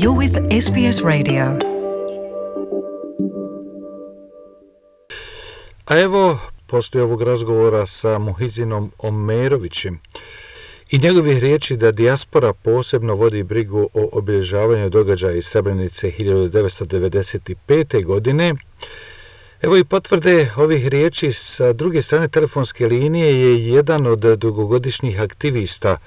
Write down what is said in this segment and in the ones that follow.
You're with SBS Radio. A evo, poslije ovog razgovora sa Muhizinom Omerovićem i njegovih riječi da dijaspora posebno vodi brigu o obilježavanju događaja iz Srebrenice 1995. godine, evo i potvrde ovih riječi sa druge strane telefonske linije je jedan od dugogodišnjih aktivista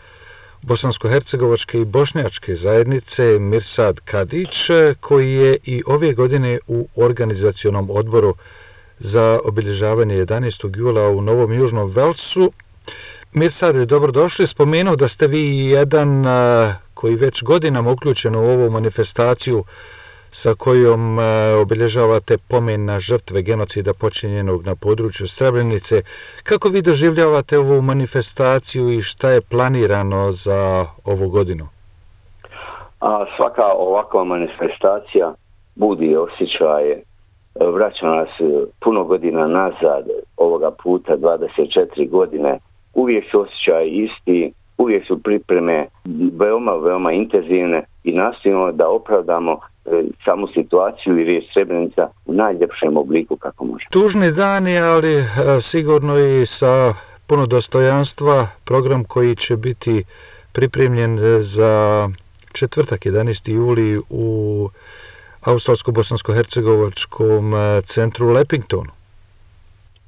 bosansko-hercegovačke i bošnjačke zajednice Mirsad Kadić, koji je i ove godine u organizacionom odboru za obilježavanje 11. jula u Novom Južnom Velsu. Mirsad, dobrodošli. Spomenuo da ste vi jedan koji već godinama uključen u ovu manifestaciju sa kojom obilježavate pomen na žrtve genocida počinjenog na području Srebrenice. Kako vi doživljavate ovu manifestaciju i šta je planirano za ovu godinu? Svaka ovakva manifestacija budi osjećaje, vraća nas puno godina nazad, ovoga puta 24 godine. Uvijek su osjećaji isti, uvijek su pripreme veoma intenzivne i nastojimo da opravdamo samu situaciju i riječ Srebrenica u najljepšem obliku kako može. Tužni dani, ali sigurno i sa puno dostojanstva, program koji će biti pripremljen za četvrtak 11. juli u Australsko-bosansko-hercegovačkom centru u Lepingtonu.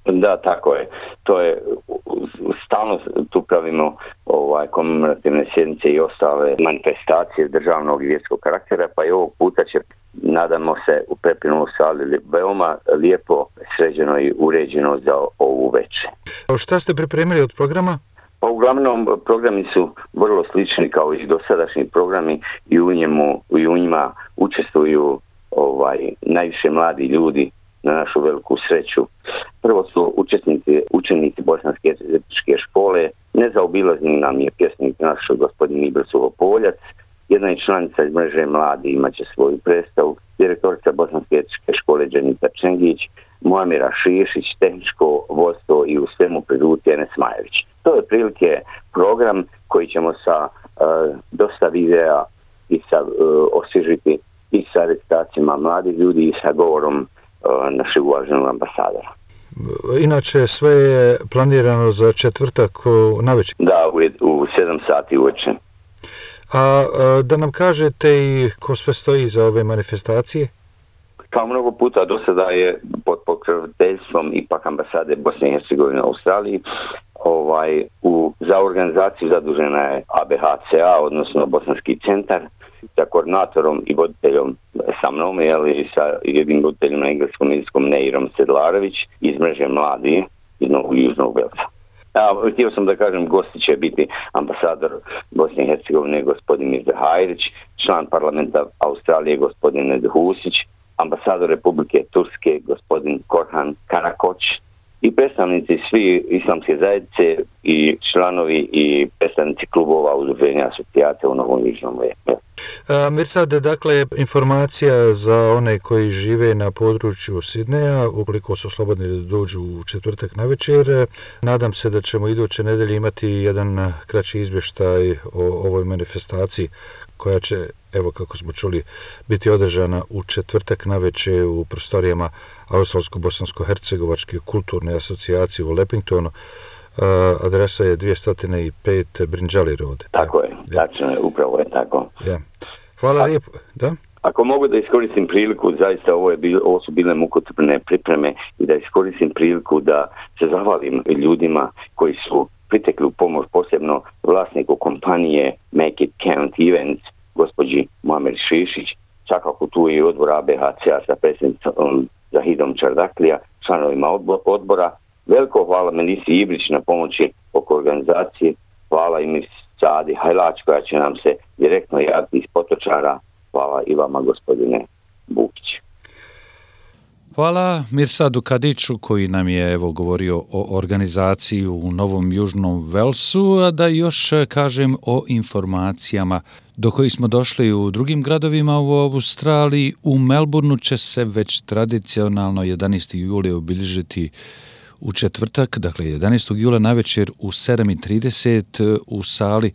Da, tako je. To je stalno tu pravimo komemorativne sjednice i ostale manifestacije državnog i vjerskog karaktera, pa i ovog puta će, nadamo se, u Pepinu sali veoma lijepo sređeno i uređeno za ovu večer. Šta ste pripremili od programa? Pa uglavnom programi su vrlo slični kao i dosadašnji programi i u njima učestvuju najviše mladi ljudi na našu veliku sreću. Prvo su učenici Bosanske jezičke škole, nezaobilazni nam je pjesnik naš gospodin Ibr Suhopoljac, jedna je članica iz mreže mladi, imat će svoju predstavu, direktorica Bosanske jezičke škole Dženita Čengić, Muamira Šišić, tehničko vodstvo i u svemu priduti Enes Majević. To je prilike program koji ćemo sa dosta videa i osvježiti i sa recitacijama mladih ljudi i sa govorom našeg uvaženog ambasadora. Inače, sve je planirano za četvrtak navečer? Da, u 7 sati uveče. A da nam kažete i ko sve stoji za ove manifestacije? Kao mnogo puta do sada je pod pokroviteljstvom ipak ambasade Bosne i Hercegovine u Australiji za organizaciju zadužena je ABHCA, odnosno Bosanski centar, sa koordinatorom i voditeljom sa mnom, i sa jednim voditeljom na engleskom jezikom Neirom Sedlarević iz mreže mladi iz Novog Južnog Velsa. Htio sam da kažem, gosti će biti ambasador Bosne i Hercegovine gospodin Mirza Hajrić, član parlamenta Australije gospodin Ned Husić, ambasador Republike Turske gospodin Korhan Karakoć i predstavnici svi islamske zajednice i članovi i predstavnici klubova udruženja asocijacija u Novom Južnom Velsu. Mirsad, dakle, informacija za one koji žive na području Sidneja, ukoliko su slobodni da dođu u četvrtak navečer. Nadam se da ćemo iduće nedelje imati jedan kraći izvještaj o ovoj manifestaciji koja će, evo kako smo čuli, biti održana u četvrtak navečer u prostorijama Australsko-bosansko-hercegovačke kulturne asocijacije u Lepingtonu. Adresa je 205 Brinjali Road. Tako je, tačno je, upravo je tako. Ja. Hvala lijepo. Da? Ako mogu da iskoristim priliku, zaista ovo su bile mukotrpne pripreme i da iskoristim priliku da se zahvalim ljudima koji su pritekli u pomoć, posebno vlasniku kompanije Make It Count Events, gospođi Muamer Šišić, svakako tu je i odbor ABHCA sa predsjednicom Zahidom Čardaklija, članovima odbora. Veliko hvala Melisi Ibrić na pomoći oko organizacije, hvala i Mirsadi Hajlač koja će nam se direktno javiti iz Potočara, hvala i vama gospodine Bukić. Hvala Mirsadu Kadiću koji nam je govorio o organizaciji u Novom Južnom Velsu, a da još kažem o informacijama do kojih smo došli u drugim gradovima u Australiji. U Melbourneu će se već tradicionalno 11. juli obilježiti u četvrtak, dakle 11. jula navečer u 7:30 u sali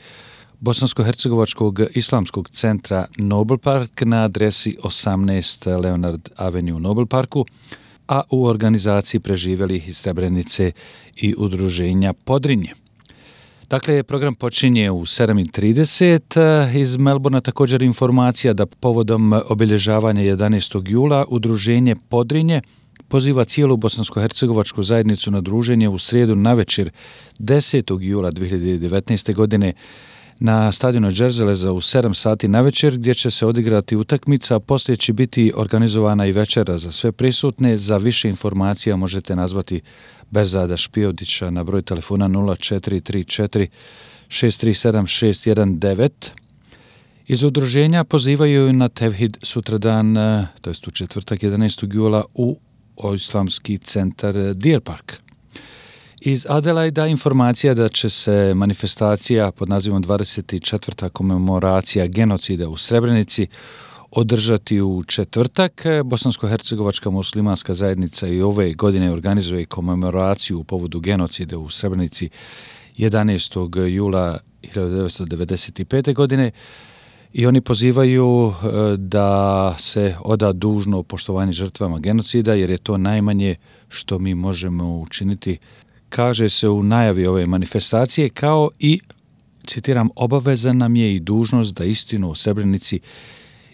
Bosansko-hercegovačkog islamskog centra Nobel Park na adresi 18 Leonard Avenue u Nobel Parku, a u organizaciji preživjelih iz Srebrenice i udruženja Podrinje. Dakle, program počinje u 7:30. Iz Melbourna također informacija da povodom obilježavanja 11. jula udruženje Podrinje poziva cijelu bosansko-hercegovačku zajednicu na druženje u srijedu navečer 10. jula 2019. godine na stadionu Džerzeleza u 7 sati navečer, gdje će se odigrati utakmica, a poslije će biti organizovana i večera za sve prisutne. Za više informacija možete nazvati Berzada Špijodića na broj telefona 0434 637 619. Iz udruženja pozivaju na Tevhid sutradan, to jest u četvrtak 11. jula u Islamski centar Deer Park. Iz Adelaida informacija da će se manifestacija pod nazivom 24. komemoracija genocida u Srebrenici održati u četvrtak. Bosansko-hercegovačka muslimanska zajednica i ove godine organizuje komemoraciju u povodu genocida u Srebrenici 11. jula 1995. godine i oni pozivaju da se oda dužno poštovanje žrtvama genocida, jer je to najmanje što mi možemo učiniti, kaže se u najavi ove manifestacije, kao i, citiram, obaveza nam je i dužnost da istinu o Srebrenici,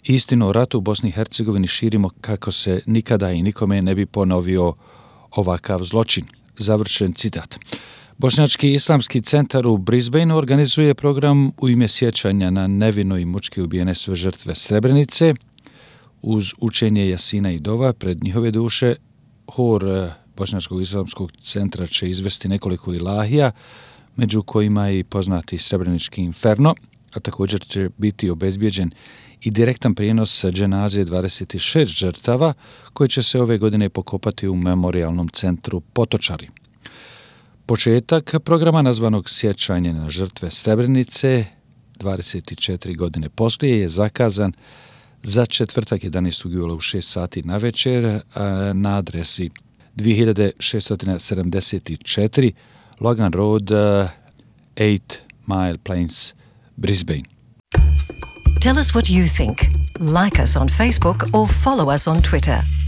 istinu o ratu u Bosni i Hercegovini širimo kako se nikada i nikome ne bi ponovio ovakav zločin. Završen citat. Bošnjački islamski centar u Brisbaneu organizuje program u ime sjećanja na nevino i mučki ubijene sve žrtve Srebrenice. Uz učenje Jasina i dova pred njihove duše, hor Bošnjačkog islamskog centra će izvesti nekoliko ilahija, među kojima je i poznati Srebrenički inferno, a također će biti obezbijeđen i direktan prijenos dženaze 26 žrtava koji će se ove godine pokopati u memorijalnom centru Potočari. Početak programa nazvanog Sjećanje na žrtve Srebrenice 24 godine poslije je zakazan za četvrtak 11. jula u 6 sati navečer na adresi 2674 Logan Road, 8 Mile Plains, Brisbane. Tell us what you think. Like us on Facebook or follow us on Twitter.